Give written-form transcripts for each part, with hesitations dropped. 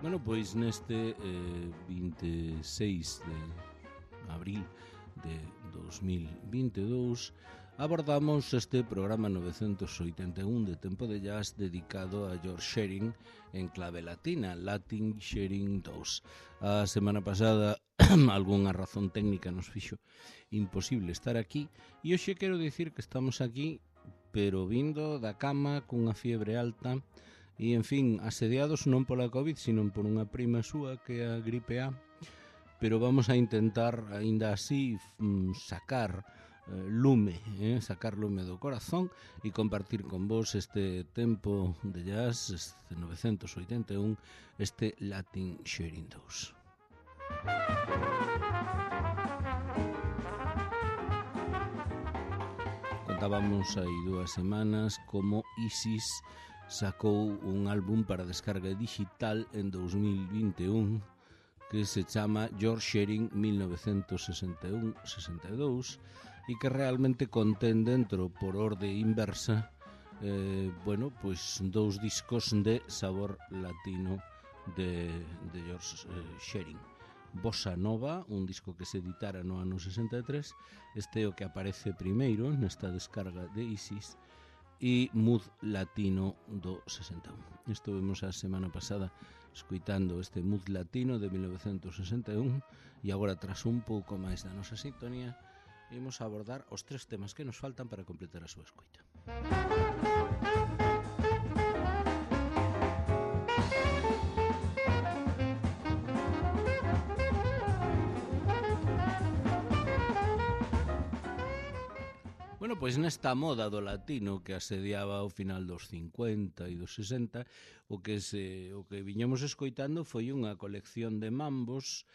Bueno, pois neste 26 de abril de 2022 abordamos este programa 981 de Tempo de Jazz dedicado a George Shearing en clave latina, Latin Shearing 2. A semana pasada algunha razón técnica nos fixo imposible estar aquí e hoxe quero dicir que estamos aquí pero vindo da cama cunha fiebre alta e, en fin, asediados non pola COVID, sino por unha prima súa que é a gripe A, pero vamos a intentar, aínda así, sacar lume do corazón e compartir con vos este tempo de jazz, este 981, este Latin Shearing 2. Contábamos hai 2 semanas como Isis sacou un álbum para descarga digital en 2021 que se chama George Shearing 1961-62 e que realmente contén dentro, por orde inversa, pues 2 discos de sabor latino de George Shearing. Bossa Nova, un disco que se editara no ano 63, este é o que aparece primeiro nesta descarga de Isis, e Mood Latino do 61. Estivemos a semana pasada escuitando este Mood Latino de 1961 e agora, tras un pouco máis da nosa sintonía, imos a abordar os 3 temas que nos faltan para completar a súa escuita. Bueno, pois nesta moda do latino que asediaba ao final dos 50 e dos 60, o que viñamos escoitando foi unha colección de mambos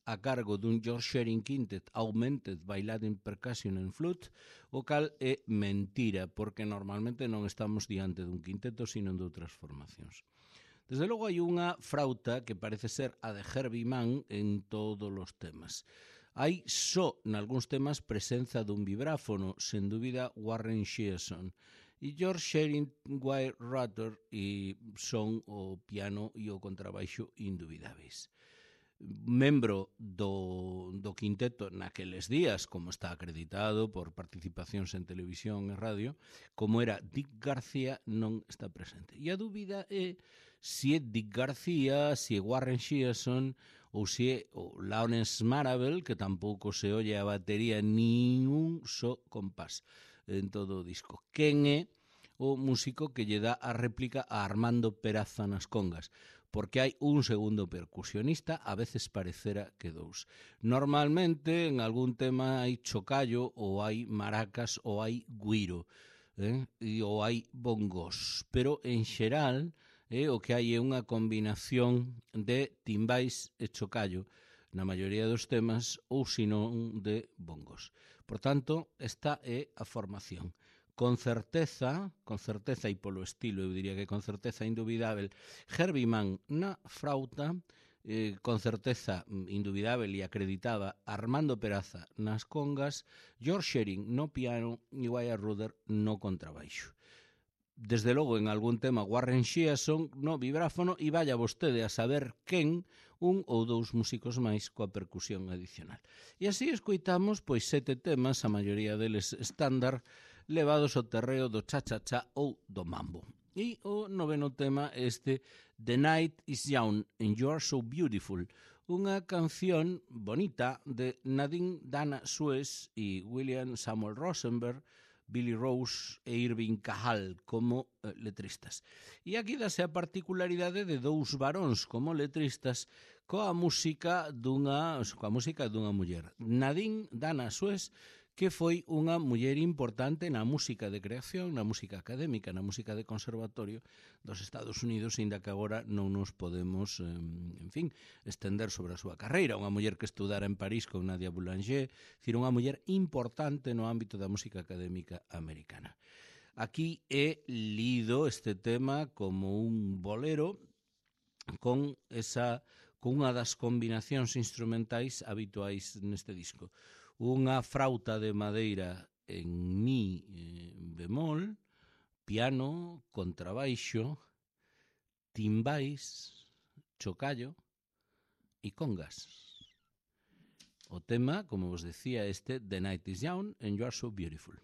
a cargo dun George Shearing Quintet Augmented by Latin Percussion and Flute, o cal é mentira, porque normalmente non estamos diante dun quinteto, sino de outras formacións. Desde logo hai unha frauta que parece ser a de Herbie Mann en todos os temas. Hai só nalgúns temas presenza dun vibráfono, sen dúbida Warren Shearson, e George Shearing, Wyatt Rutter e son o piano e o contrabaixo indubidáveis. Membro do quinteto naqueles días, como está acreditado por participacións en televisión e radio, como era Dick García, non está presente. E a dúbida é se é Dick García, se é Warren Shearson ou se é o Lawrence Marable, que tampouco se olle a batería nin un só compás en todo o disco. Quen é o músico que lle dá a réplica a Armando Peraza nas congas? Porque hai un segundo percusionista, a veces parecera que 2. Normalmente, en algún tema hai chocallo, ou hai maracas, ou hai guiro, ou hai bongos. Pero, en xeral, o que hai é unha combinación de timbais e chocallo na maioría dos temas, ou senón de bongos. Por tanto, esta é a formación. Con certeza e polo estilo, eu diría que con certeza indubidável, Herbie Mann na frauta, con certeza indubidável e acreditada Armando Peraza nas congas, George Shearing no piano e Wyatt Rutter no contrabaixo. Desde logo, en algún tema, Warren Shearson no vibráfono e vaya vostede a saber quen, un ou 2 músicos máis coa percusión adicional. E así escoitamos pois 7 temas, a maioría deles estándar, levados ao terreo do cha-cha-cha ou do mambo. E o 9º tema este, The Night is Young and You're So Beautiful, unha canción bonita de Nadine Dana Suez e William Samuel Rosenberg, Billy Rose e Irving Cajal como letristas. E aquí dase a particularidade de 2 varóns como letristas coa música dunha muller. Nadine Dana Suez, que foi unha muller importante na música de creación, na música académica, na música de conservatorio dos Estados Unidos, inda que agora non nos podemos, estender sobre a súa carreira. Unha muller que estudara en París con Nadia Boulanger, dicir, unha muller importante no ámbito da música académica americana. Aquí é lido este tema como un bolero con unha das combinacións instrumentais habituais neste disco. Unha frauta de madeira en mi bemol, piano, contrabaixo, timbais, chocallo e congas. O tema, como vos decía, The Night is Young and You Are So Beautiful.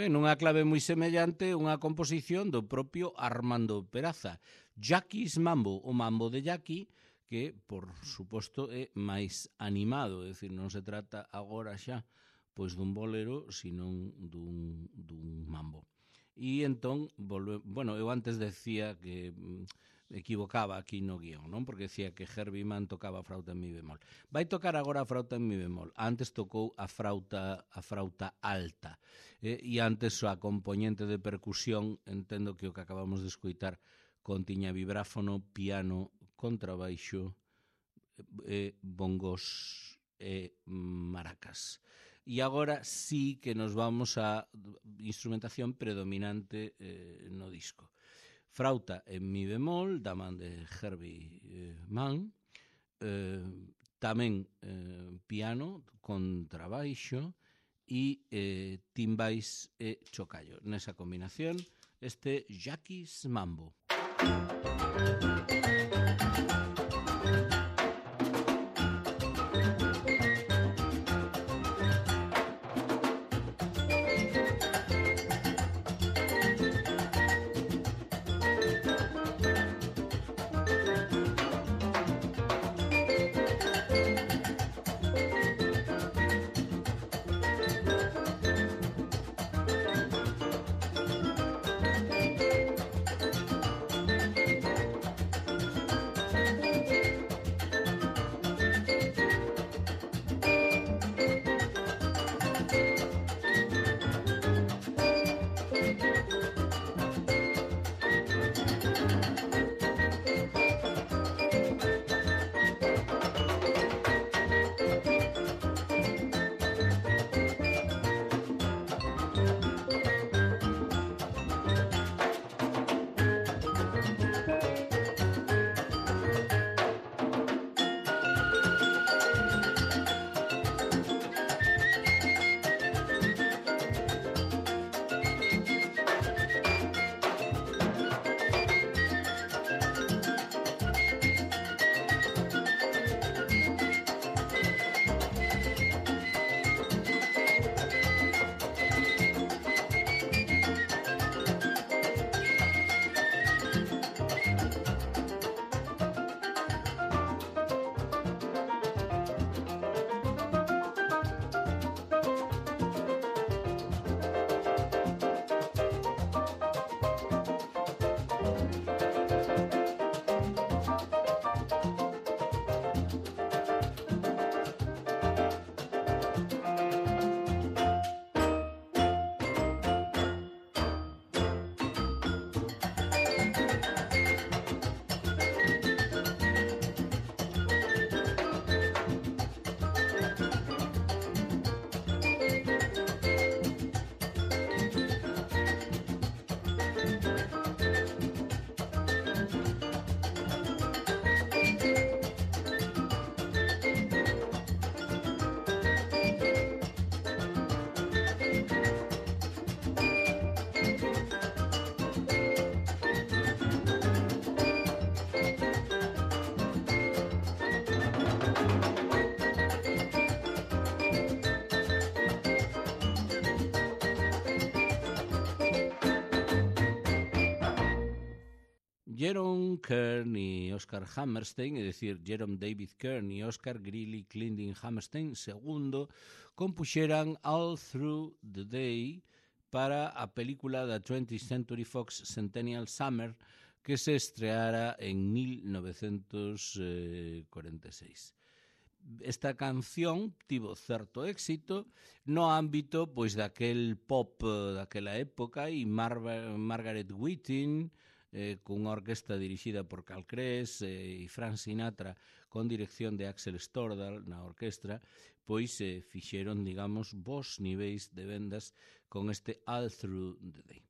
Ben, nunha clave moi semellante, unha composición do propio Armando Peraza. Jackie's Mambo, o mambo de Jackie, que, por suposto, é máis animado, é dicir, non se trata agora xa pois dun bolero, senón dun mambo. E entón, bueno, eu antes decía que equivocaba aquí no guión, non? Porque decía que Herbie Mann tocaba a frauta en mi bemol. Vai tocar agora a frauta en mi bemol. Antes tocou a frauta alta. E antes a componente de percusión, entendo que o que acabamos de escoitar contiña vibráfono, piano, contrabaixo, bongos e maracas. E agora sí que nos vamos a instrumentación predominante no disco. Frauta en mi bemol, da man de Herbie Mann, tamén piano, contrabaixo e timbais e chocallo. Nesa combinación, Jackie's Mambo. Jerome Kern y Oscar Hammerstein, é dicir, Jerome David Kern y Oscar Greeley Clendon Hammerstein II, compuxeran All Through the Day para a película da 20th Century Fox Centennial Summer, que se estreara en 1946. Esta canción tivo certo éxito no ámbito pois daquel pop daquela época, e Margaret Whiting, cunha orquesta dirixida por Carl Kress, e Frank Sinatra con dirección de Axel Stordal na orquestra, pois fixeron, digamos, bons niveis de vendas con este All Through the Day.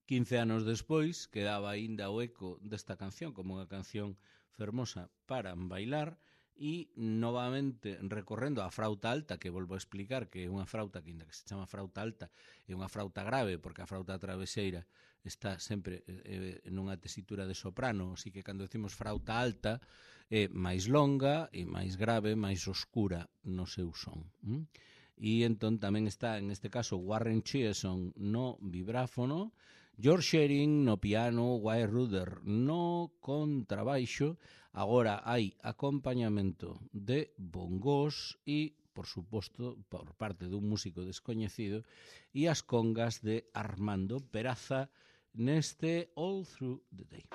15 anos despois quedaba aínda o eco desta canción como unha canción fermosa para bailar, e novamente recorrendo á frauta alta, que volvo a explicar que é unha frauta que, ainda que se chama frauta alta, é unha frauta grave, porque a frauta travesseira está sempre nunha tesitura de soprano, así que cando decimos frauta alta é máis longa e máis grave, máis oscura no seu son. E entón tamén está, en este caso, Warren Cheerson no vibráfono, George Shearing no piano, Wyatt Ruder no contrabaixo. Agora hai acompañamento de bongos e, por suposto, por parte dun músico descoñecido, e as congas de Armando Peraza neste All Through the Day.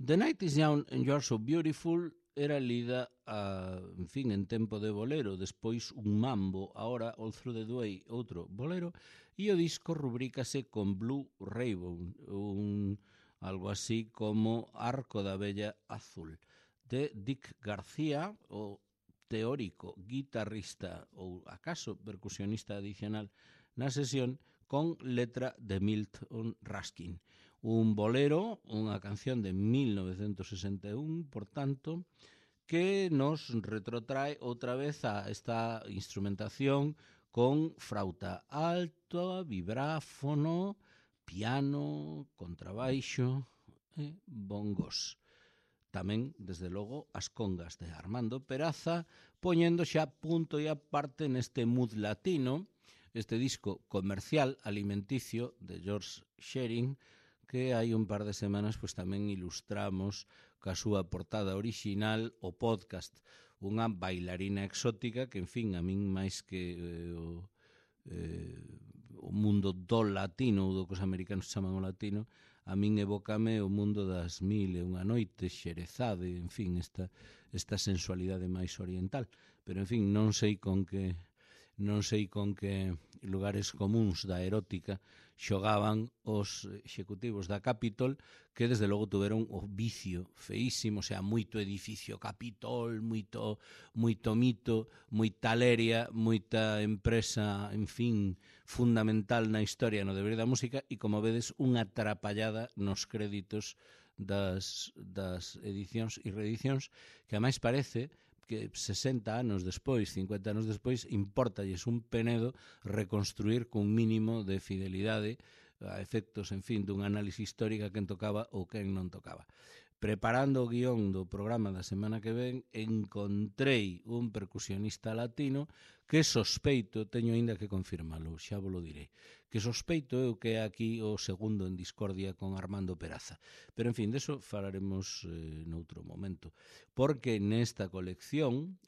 The Night is Young and You're So Beautiful era lida en tempo de bolero, despois un mambo, agora All Through the Day outro bolero, e o disco rubrícase con Blue Rainbow, algo así como Arco da Bella Azul, de Dick García, o teórico guitarrista ou acaso percusionista adicional na sesión, con letra de Milton Ruskin. Un bolero, unha canción de 1961, por tanto, que nos retrotrae outra vez a esta instrumentación con frauta alta, vibráfono, piano, contrabaixo, e bongos. Tamén, desde logo, as congas de Armando Peraza, poñendo xa punto e aparte neste mood latino, este disco comercial alimenticio de George Shearing, que hai un par de semanas pois tamén ilustramos ca súa portada orixinal o podcast, unha bailarina exótica que, en fin, a min máis que o mundo do latino, ou do que os americanos chaman o latino, a min evócame o mundo das mil e unha noites, Xerezade, en fin, esta sensualidade máis oriental. Pero, en fin, non sei con que lugares comuns da erótica xogaban os executivos da Capitol, que desde logo tuveron o vicio feísimo, o sea, moito edificio Capitol, moito mito, moita leria, moita empresa, en fin, fundamental na historia no deber da música, e como vedes, unha atrapallada nos créditos das edicións e reedicións, que a máis parece que 60 anos despois, 50 anos despois, importalles un penedo reconstruir cun mínimo de fidelidade a efectos, en fin, dun análise histórica quen tocaba ou quen non tocaba. Preparando o guión do programa da semana que ven, encontrei un percusionista latino que sospeito, teño aínda que confirmalo, xa vos lo direi, que sospeito eu que é aquí o segundo en discordia con Armando Peraza. Pero, en fin, deso falaremos noutro momento, porque nesta colección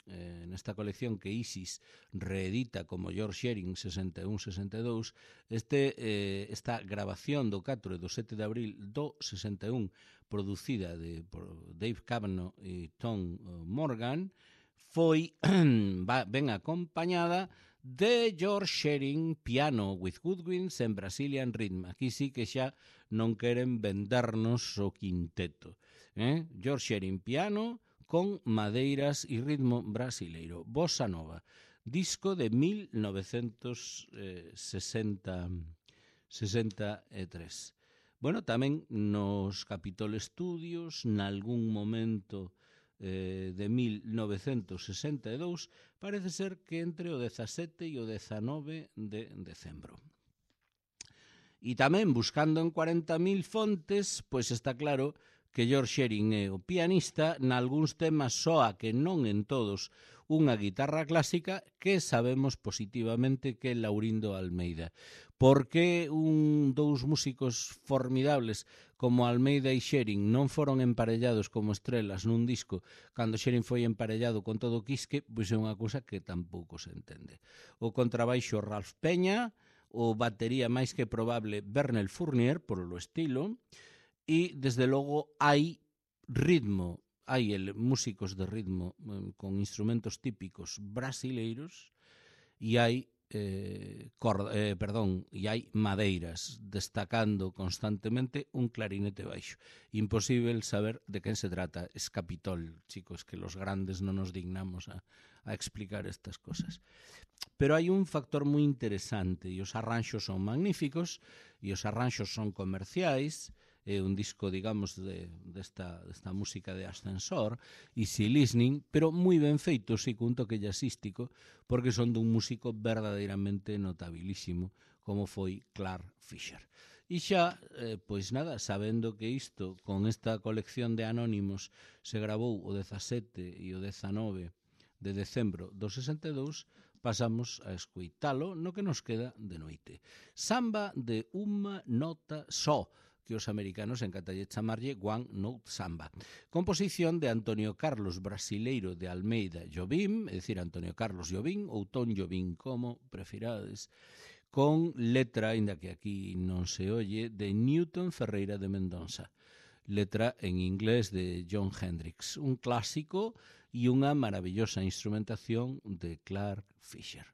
que Isis reedita como George Shearing 61-62, esta grabación do 4 e do 7 de abril do 61, producida por Dave Cavanaugh e Tom Morgan, foi ben acompañada de George Shearing piano with woodwinds en Brazilian Rhythm. Aquí sí que xa non queren vendernos o quinteto. George Shearing piano con madeiras e ritmo brasileiro. Bossa Nova, disco de 1963. Bueno, tamén nos Capitol Studios, nalgún momento de 1962, parece ser que entre o 17 e o 19 de decembro. E tamén, buscando en 40.000 fontes, pois está claro que George Shearing é o pianista, nalgúns temas soa, que non en todos, unha guitarra clásica que sabemos positivamente que é Laurindo Almeida. Por que dous músicos formidables como Almeida e Shearing non foron emparellados como estrelas nun disco cando Shearing foi emparellado con todo o Quisque? Pois é unha cousa que tampouco se entende. O contrabaixo Ralph Peña, o batería máis que probable Bernel Fournier, por lo estilo, e desde logo hai ritmo, hai músicos de ritmo con instrumentos típicos brasileiros e hai e hai madeiras, destacando constantemente un clarinete baixo. Imposible saber de quen se trata. Es Capitol, chicos, que los grandes non nos dignamos a explicar estas cosas. Pero hai un factor moi interesante, e os arranxos son magníficos, e os arranxos son comerciais. É un disco, digamos, desta música de ascensor, easy listening, pero moi ben feito, sí, cun toque jazzístico, porque son dun músico verdadeiramente notabilísimo, como foi Clark Fisher. E xa, pois nada, sabendo que isto, con esta colección de anónimos, se gravou o 17 e o 19 de decembro do 62, pasamos a escoitalo no que nos queda de noite. Samba de unha nota só, que os americanos encantalle chamarlle One Note Samba. Composición de Antonio Carlos Brasileiro de Almeida Jobim, é dicir, Antonio Carlos Jobim ou Tom Jobim, como prefirades, con letra, ainda que aquí non se oye, de Newton Ferreira de Mendonça. Letra en inglés de John Hendricks, un clásico e unha maravillosa instrumentación de Clark Fisher.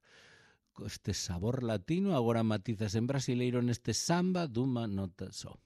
Este sabor latino agora matizas en brasileiro neste samba dunha nota só.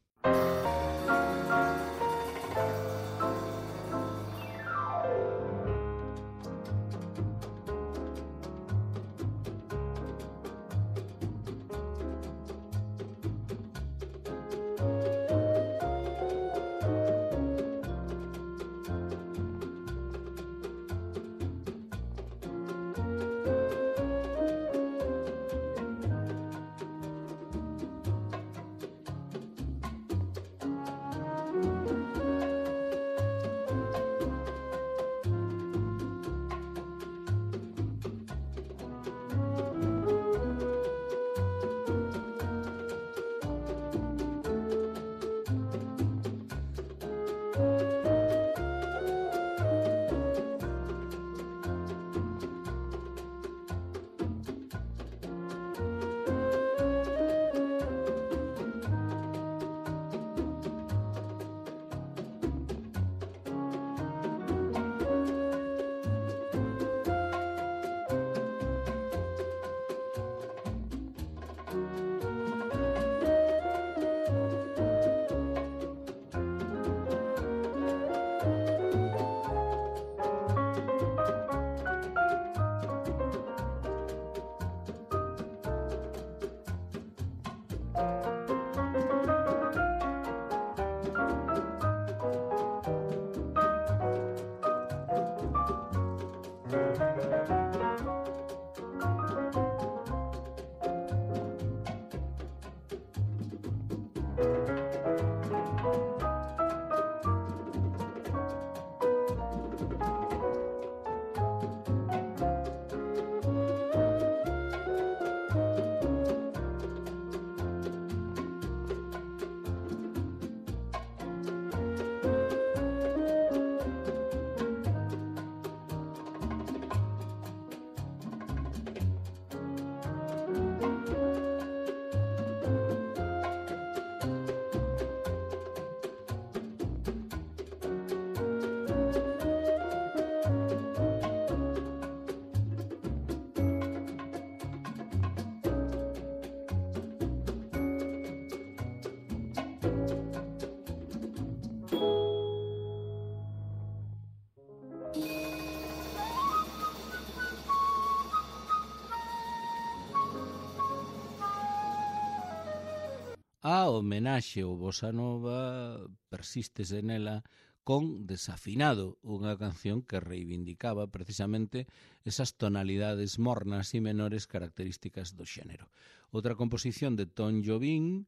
A homenaxe ao Bossa Nova persístese nela con Desafinado, unha canción que reivindicaba precisamente esas tonalidades mornas e menores características do xénero. Outra composición de Tom Jobim,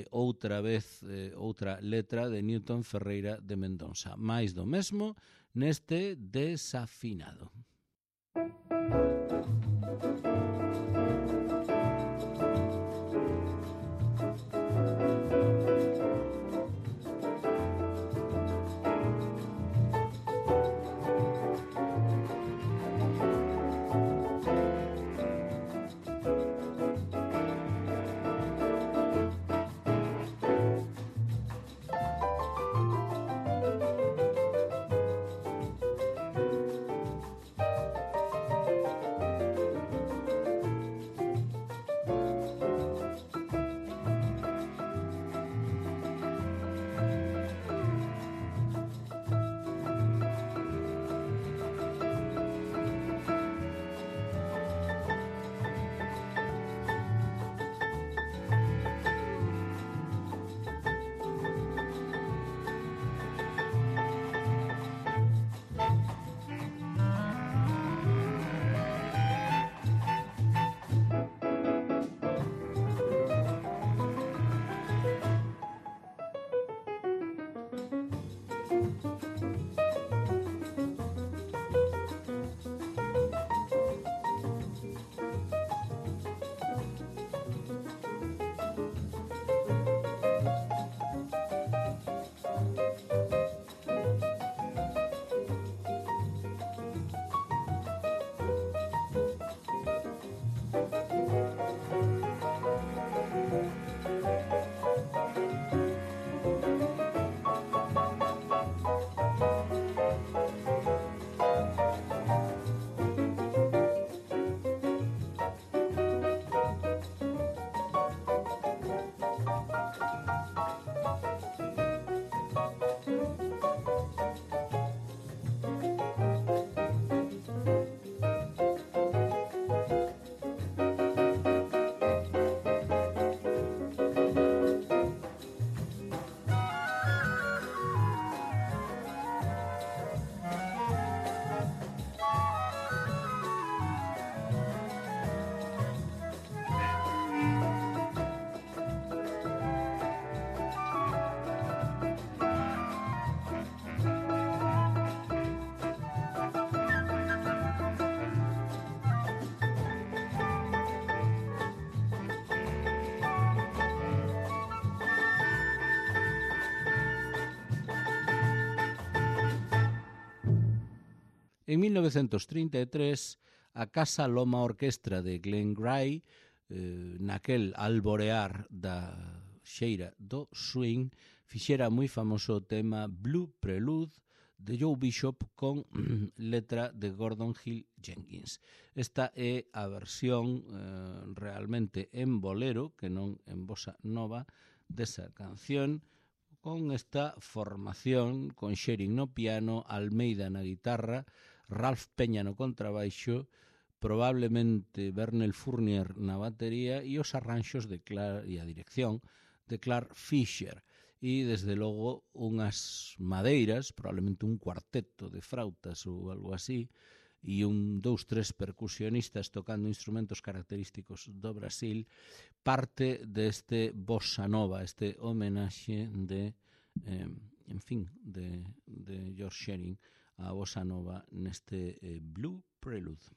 outra letra de Newton Ferreira de Mendonça. Mais do mesmo neste Desafinado. En 1933, a Casa Loma Orquestra de Glen Gray, naquel alborear da xeira do swing, fixera moi famoso o tema Blue Prelude de Joe Bishop con letra de Gordon Hill Jenkins. Esta é a versión realmente en bolero, que non en bossa nova, desa canción, con esta formación, con Sherin no piano, Almeida na guitarra, Ralph Peña no contrabaixo, probablemente Bernel Fournier na batería e os arranxos de e a dirección de Clark Fisher. E, desde logo, unhas madeiras, probablemente un cuarteto de frautas ou algo así, e dous, tres percusionistas tocando instrumentos característicos do Brasil, parte deste bossa nova, este homenaxe de George Shearing a bossa nova neste Blue Prelude.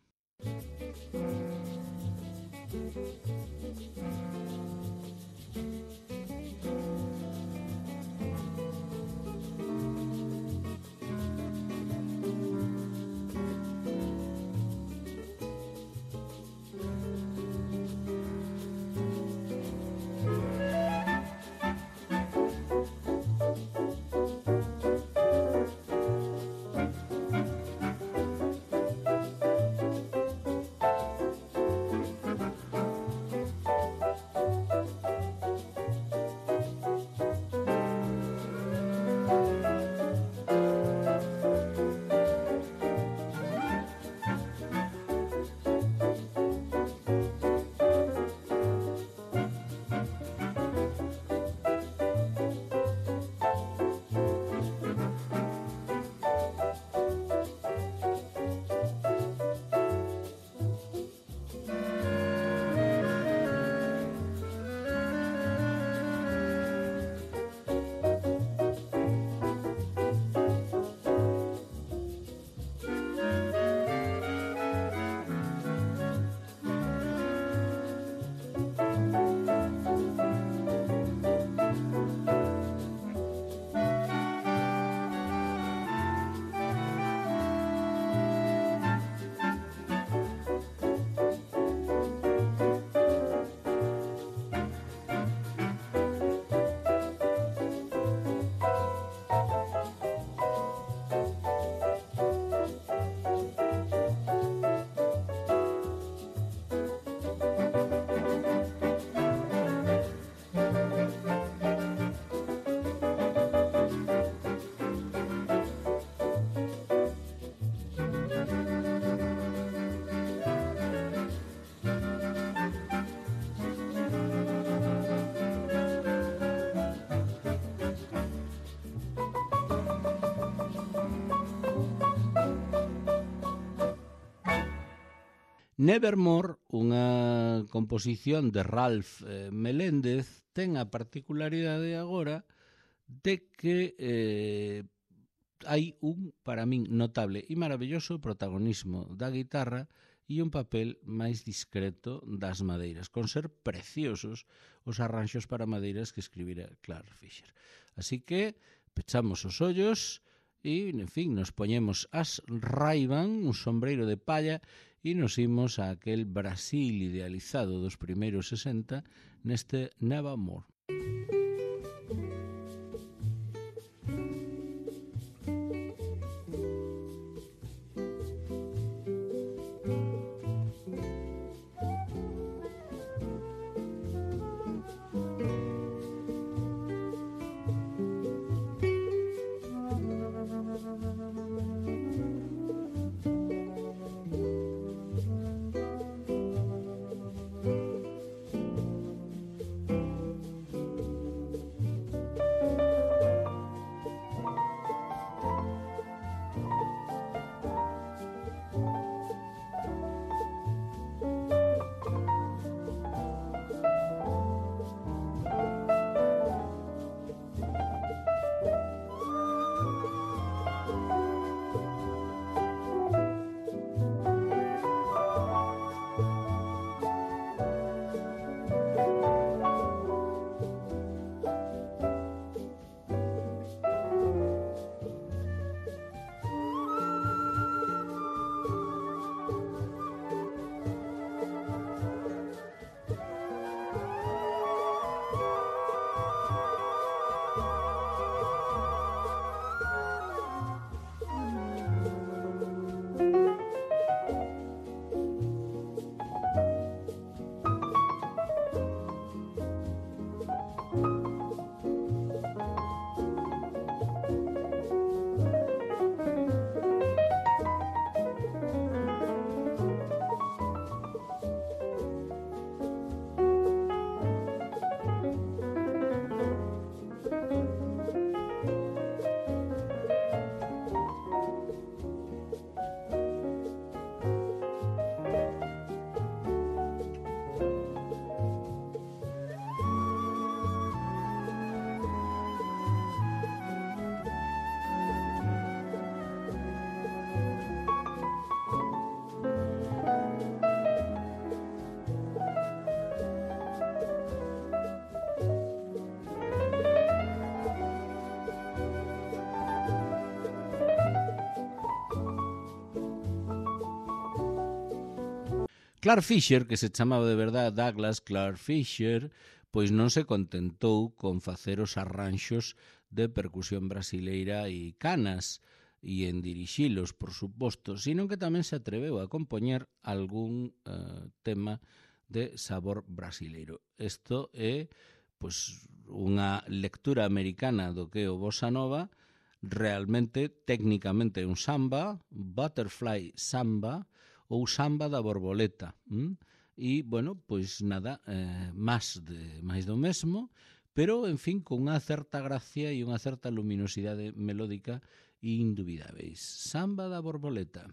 Nevermore, unha composición de Ralph Meléndez, ten a particularidade agora de que hai para min, notable e maravilloso protagonismo da guitarra e un papel máis discreto das madeiras, con ser preciosos os arranxos para madeiras que escribira Clark Fisher. Así que pechamos os ollos e, en fin, nos poñemos as Ray-Ban, un sombreiro de palla, e nos imos a aquel Brasil idealizado dos primeiros 60 neste Nevermore. Clark Fisher, que se chamaba de verdade Douglas Clark Fisher, pois non se contentou con facer os arranxos de percusión brasileira e canas e en dirixilos, por suposto, sino que tamén se atreveu a compoñer algún tema de sabor brasileiro. Isto é pois unha lectura americana do que é o bossa nova, realmente, técnicamente, un samba, butterfly samba, ou samba da borboleta. E, bueno, pois nada, máis do mesmo, pero, en fin, con unha certa gracia e unha certa luminosidade melódica indubidáveis. Samba da borboleta.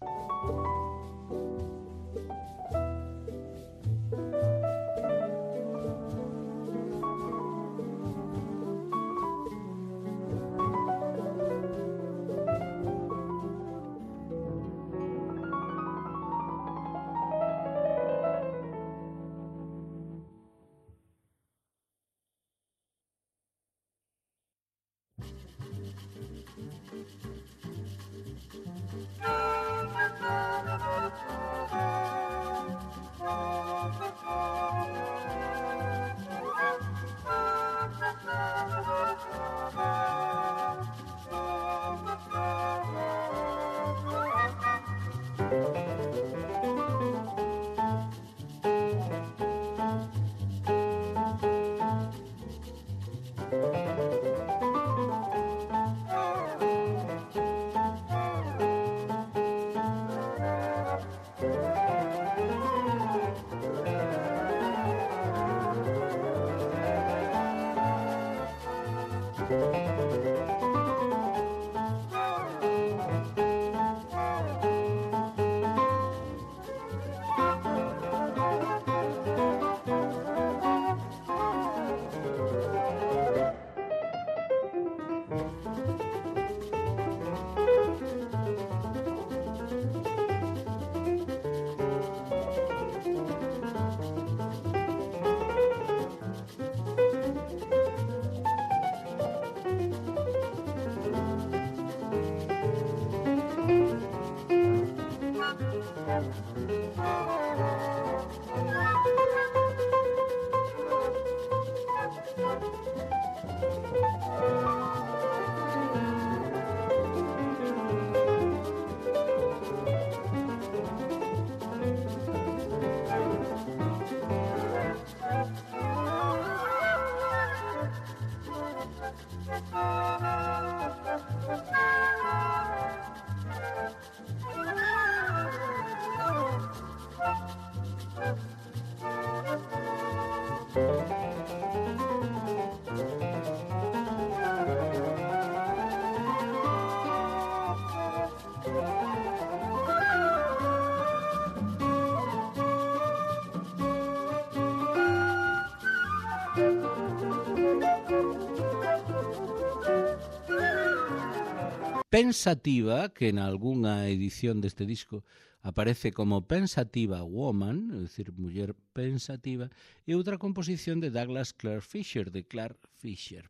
Pensativa, que en algunha edición deste disco aparece como Pensativa Woman, é dicir, muller pensativa, e outra composición de Douglas Clark Fisher, de Clark Fisher.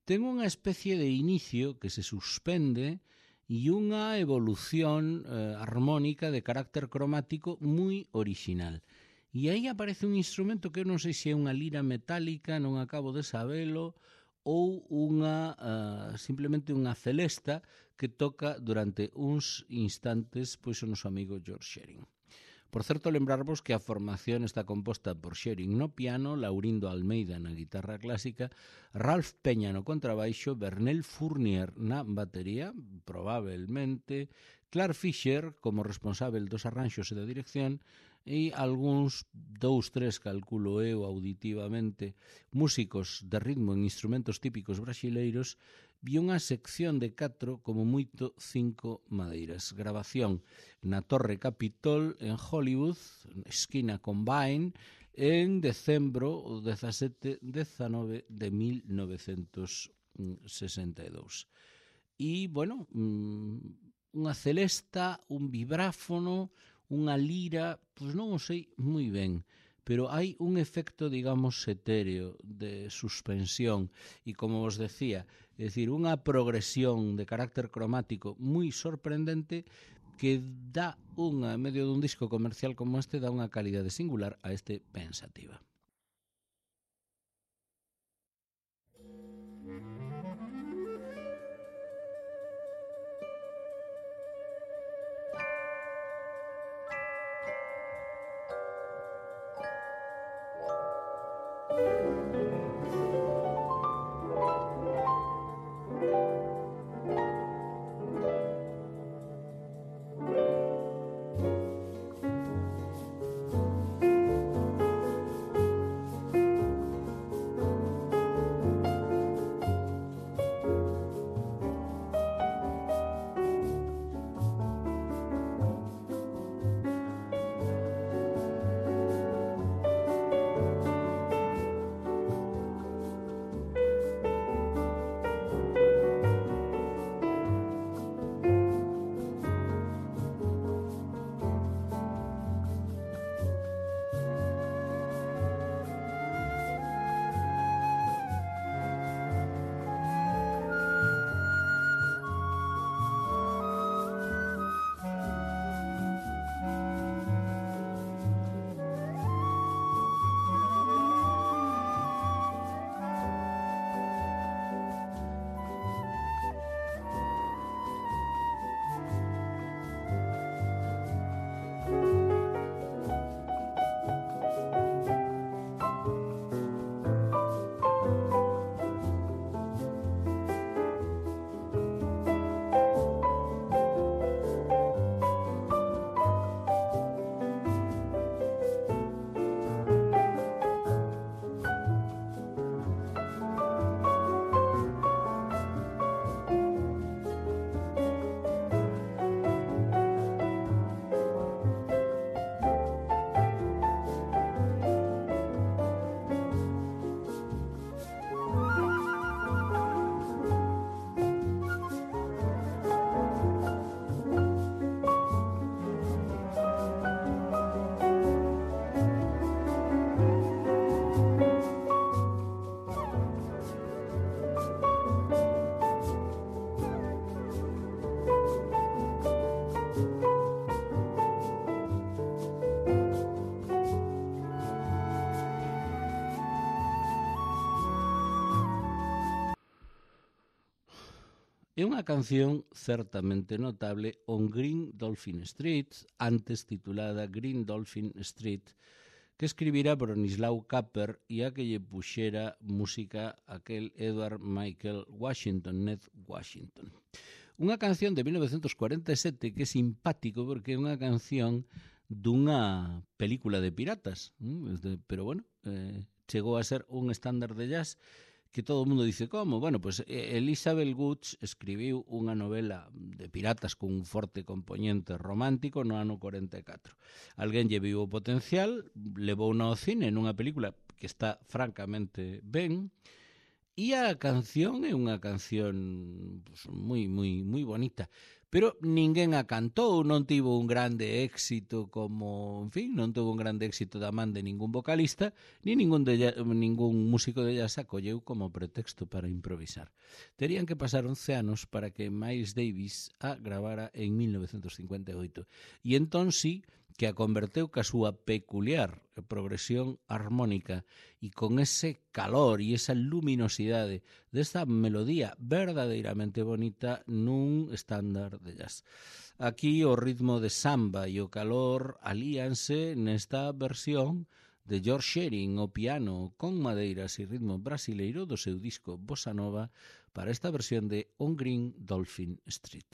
Ten unha especie de inicio que se suspende e unha evolución armónica de carácter cromático moi original. E aí aparece un instrumento que eu non sei se é unha lira metálica, non acabo de sabelo, ou simplemente unha celesta que toca durante uns instantes pois o noso amigo George Shearing. Por certo, lembrarvos que a formación está composta por Shearing no piano, Laurindo Almeida na guitarra clásica, Ralph Peña no contrabaixo, Bernel Fournier na batería, probablemente, Clark Fisher como responsável dos arranxos e da dirección, e algúns 2-3, calculo eu auditivamente, músicos de ritmo en instrumentos típicos brasileiros e unha sección de 4, como moito 5 madeiras. Grabación na Torre Capitol en Hollywood, esquina Combine, en decembro 17-19 de 1962. E, bueno, unha celesta, un vibráfono, unha lira, pois non o sei moi ben, pero hai un efecto, digamos, etéreo de suspensión e, como vos decía, é dicir, unha progresión de carácter cromático moi sorprendente que dá unha, en medio dun disco comercial como este, dá unha calidade singular a este Pensativa. É unha canción certamente notable On Green Dolphin Street, antes titulada Green Dolphin Street, que escribira Bronislau Kapper e a que lle puxera música aquel Edward Michael Washington, Ned Washington. Unha canción de 1947 que é simpático porque é unha canción dunha película de piratas, pero bueno, chegou a ser un estándar de jazz que todo o mundo dice como. Bueno, pues Elizabeth Gooch escribiu unha novela de piratas con un forte componente romántico no ano 44. Alguén lle viu o potencial, levou ao cine nunha película que está francamente ben, e a canción é unha canción pues, moi bonita. Pero ninguén a cantou, non tivo un grande éxito como, en fin, non tivo un grande éxito da man de ningún vocalista, ni ningún músico de jazz acolleu como pretexto para improvisar. Terían que pasar 11 anos para que Miles Davis a gravara en 1958. E entón sí que a converteu ca súa peculiar progresión armónica e con ese calor e esa luminosidade desta melodía verdadeiramente bonita nun estándar de jazz. Aquí o ritmo de samba e o calor alíanse nesta versión de George Shearing ao piano con madeiras e ritmo brasileiro do seu disco Bossa Nova para esta versión de On Green Dolphin Street.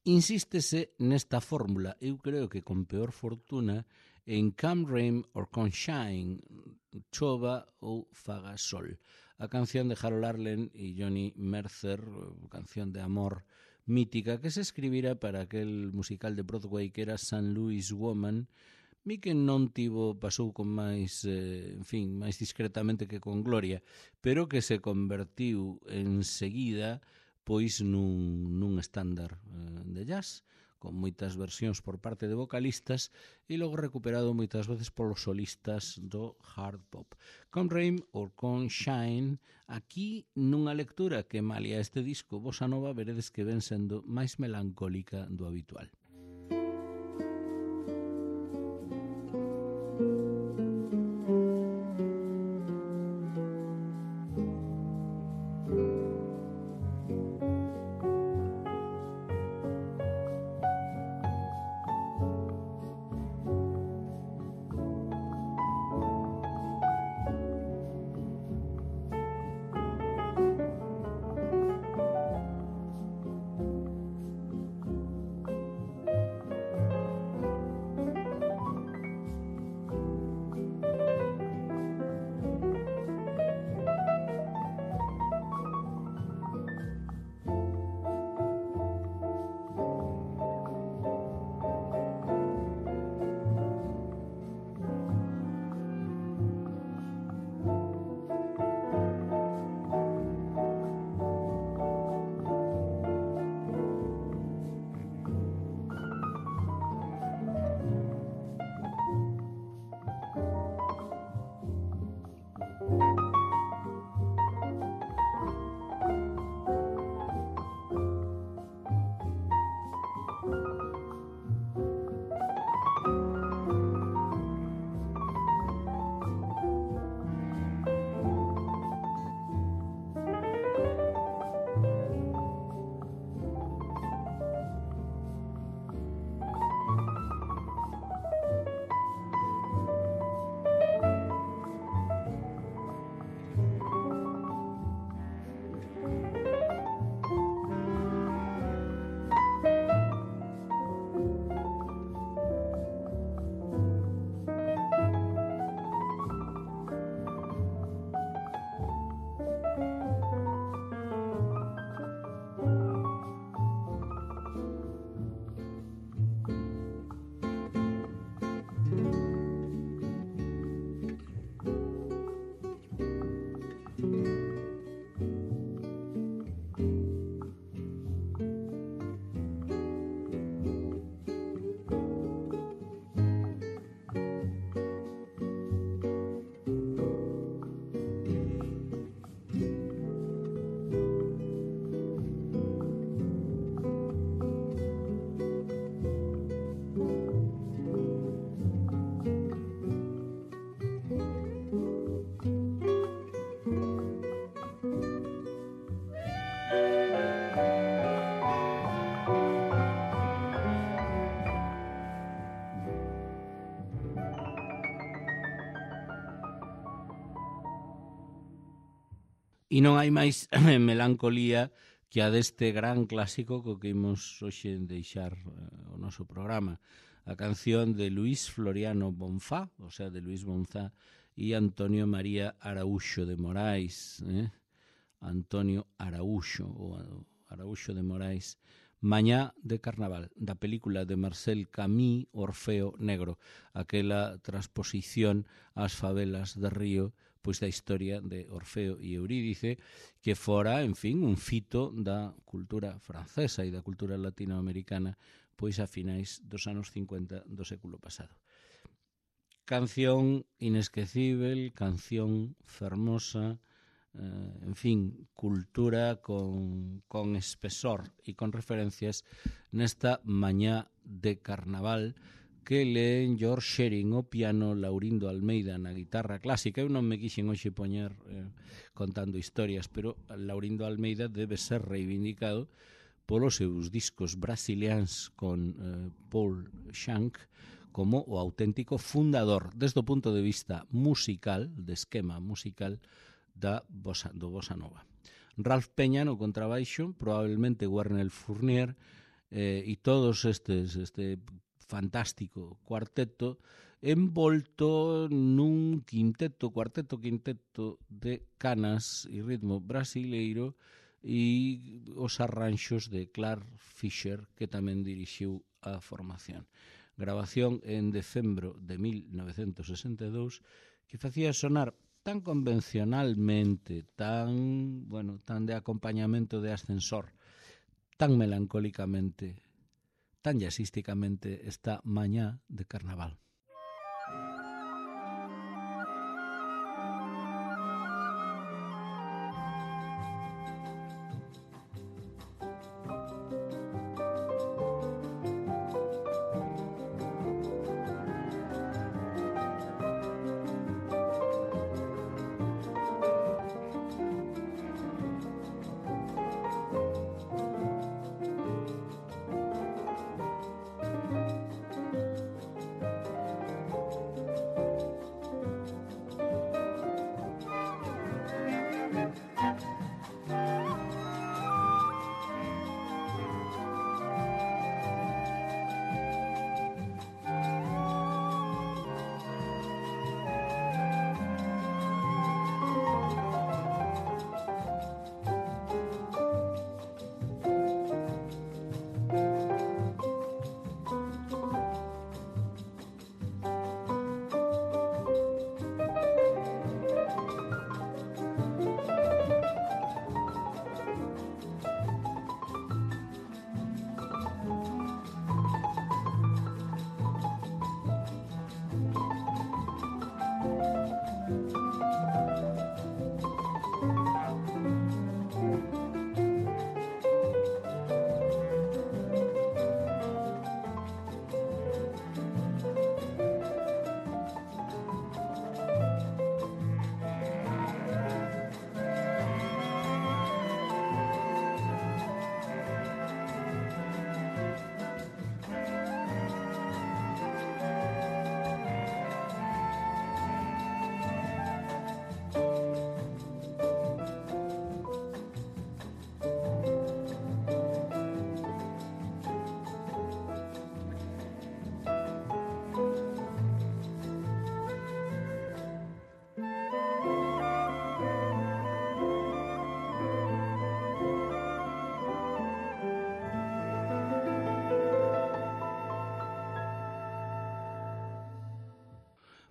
Insístese nesta fórmula, eu creo que con peor fortuna, en Come Rain or Come Shine, chova ou faga sol. A canción de Harold Arlen e Johnny Mercer, canción de amor mítica que se escribira para aquel musical de Broadway que era St. Louis Woman, mi que non pasou con máis, máis discretamente que con gloria, pero que se convertiu enseguida pois nun estándar de jazz, con moitas versións por parte de vocalistas e logo recuperado moitas veces polos solistas do hard pop. Come Rain or Come Shine, aquí nunha lectura que malia este disco bossa nova veredes que ven sendo máis melancólica do habitual. E non hai máis melancolía que a deste gran clásico co que imos hoxe deixar o noso programa. A canción de Luis Floriano Bonfá, o sea, de Luis Bonfá e Antonio María Araúxo de Morais. Antonio Araúxo, ou Araúxo de Morais. Mañá de Carnaval, da película de Marcel Camus, Orfeo Negro, aquela transposición ás favelas de Río, pois da historia de Orfeo e Eurídice, que fora, en fin, un fito da cultura francesa e da cultura latinoamericana, pois a finais dos anos 50 do século pasado. Canción inesquecível, canción fermosa, en fin, cultura con espesor e con referencias nesta mañá de Carnaval que leen George Shearing o piano, Laurindo Almeida na guitarra clásica. Eu non me quixen hoxe poñer contando historias, pero Laurindo Almeida debe ser reivindicado polos seus discos brasilianos con Paul Shank como o auténtico fundador, desde o punto de vista musical, de esquema musical, do bossa nova. Ralph Peña no contrabaixo, probablemente Warnel Fournier e todos este fantástico cuarteto envolto nun cuarteto quinteto de canas e ritmo brasileiro e os arranxos de Clark Fisher, que tamén dirixiu a formación. Grabación en decembro de 1962 que facía sonar tan convencionalmente, tan de acompañamento de ascensor, tan melancólicamente, tan jazzísticamente esta mañá de carnaval.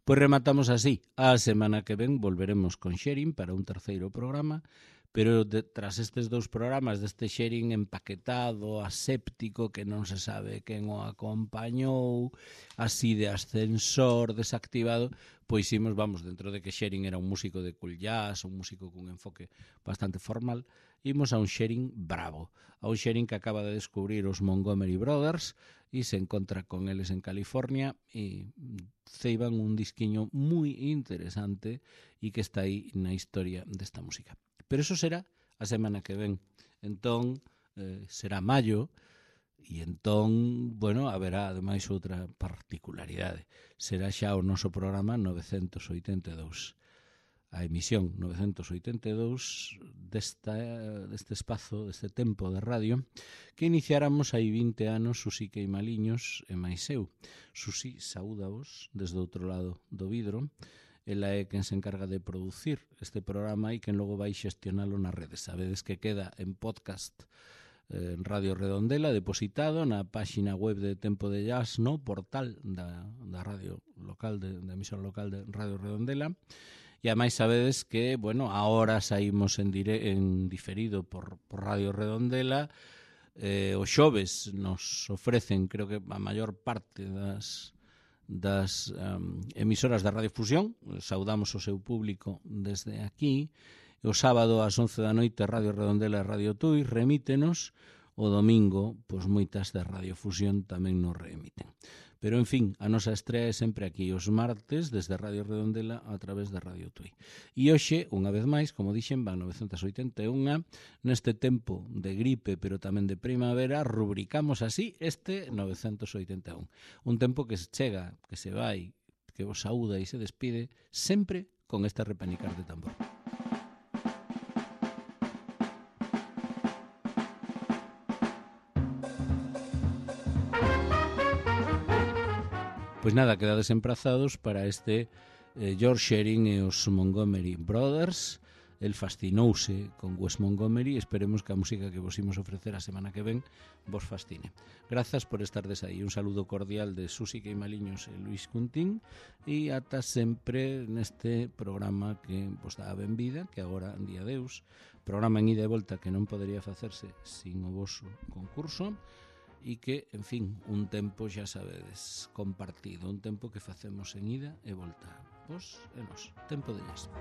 Pois rematamos así. A semana que ven volveremos con Xerin para un terceiro programa, pero tras estes dous programas deste Xerin empaquetado, aséptico, que non se sabe quen o acompañou, así de ascensor, desactivado, pois vamos, dentro de que Xerin era un músico de cool jazz, un músico cun enfoque bastante formal, imos a un Xerin bravo, a un Xerin que acaba de descubrir os Montgomery Brothers e se encontra con eles en California e ceiban un disquiño moi interesante e que está aí na historia desta música. Pero eso será a semana que ven. Entón, será maio, e entón, haberá ademais outra particularidade. Será xa o noso programa 982. A emisión 982 deste espazo, deste tempo de radio, que iniciáramos hai 20 anos Susi Queimaliños e máis eu. Susi, saúdavos desde outro lado do vidro. Ela é quen se encarga de producir este programa e quen logo vai xestionalo nas redes. Sabedes que queda en podcast en Radio Redondela, depositado na páxina web de Tempo de Jazz, no portal da radio local, da emisora local de Radio Redondela. E ademais sabedes que, agora saímos en diferido por Radio Redondela. Os xoves nos ofrecen, creo que a maior parte das emisoras da Radio Fusión. Saudamos o seu público desde aquí. O sábado ás 11 da noite Radio Redondela e Radio Tui remítenos. O domingo, moitas da Radio Fusión tamén nos reemiten. Pero, en fin, a nosa estrea é sempre aquí, os martes, desde Radio Redondela a través de Radio Tui. E hoxe, unha vez máis, como dixen, van 981, neste tempo de gripe, pero tamén de primavera, rubricamos así este 981. Un tempo que se chega, que se vai, que vos saúda e se despide, sempre con este repanicar de tambor. Pois nada, quedades emprazados para este George Shearing e os Montgomery Brothers. El fascinouse con Wes Montgomery. Esperemos que a música que vos imos ofrecer a semana que ven vos fascine. Grazas por estardes aí. Un saludo cordial de Susi Queimaliños e Luis Cuntín, e ata sempre neste programa que vos dá a benvida, que agora, en día Deus, programa en ida e volta que non podería facerse sin o voso concurso, e que, en fin, un tempo, xa sabedes, compartido, un tempo que facemos en ida e volta. Vos e nos. Tempo de lles.